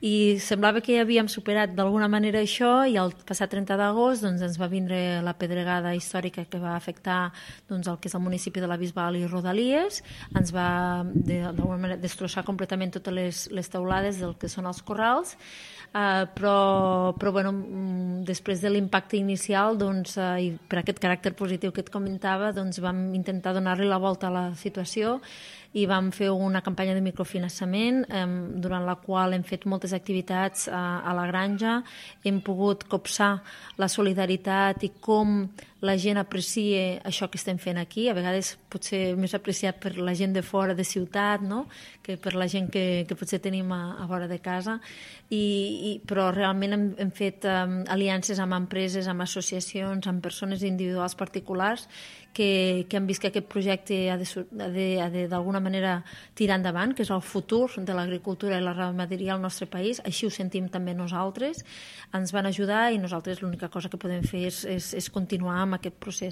I semblava que ja havíem superat d'alguna manera això i el passat 30 d'agost doncs, ens va vindre la pedregada històrica que va afectar doncs, el que és el municipi de la Bisbal i Rodalies, ens va d'alguna manera destrossar completament totes les teulades del que són els corrals, però bueno, després de l'impacte inicial doncs, i per aquest caràcter positiu que et comentava doncs, vam intentar donar-li la volta a la situació i vam fer una campanya de microfinançament durant la qual hem fet moltes activitats a la granja, hem pogut copsar la solidaritat i com la gent aprecia això que estem fent aquí, a vegades potser més apreciat per la gent de fora de ciutat, no? Que per la gent que potser tenim a vora de casa, però realment hem fet aliances amb empreses, amb associacions, amb persones individuals particulars que han vist que aquest projecte ha de d'alguna manera tirar endavant, que és el futur de l'agricultura i la ramaderia al nostre país. Així ho sentim també nosaltres. Ens van ajudar i nosaltres l'única cosa que podem fer és continuar amb aquest procés.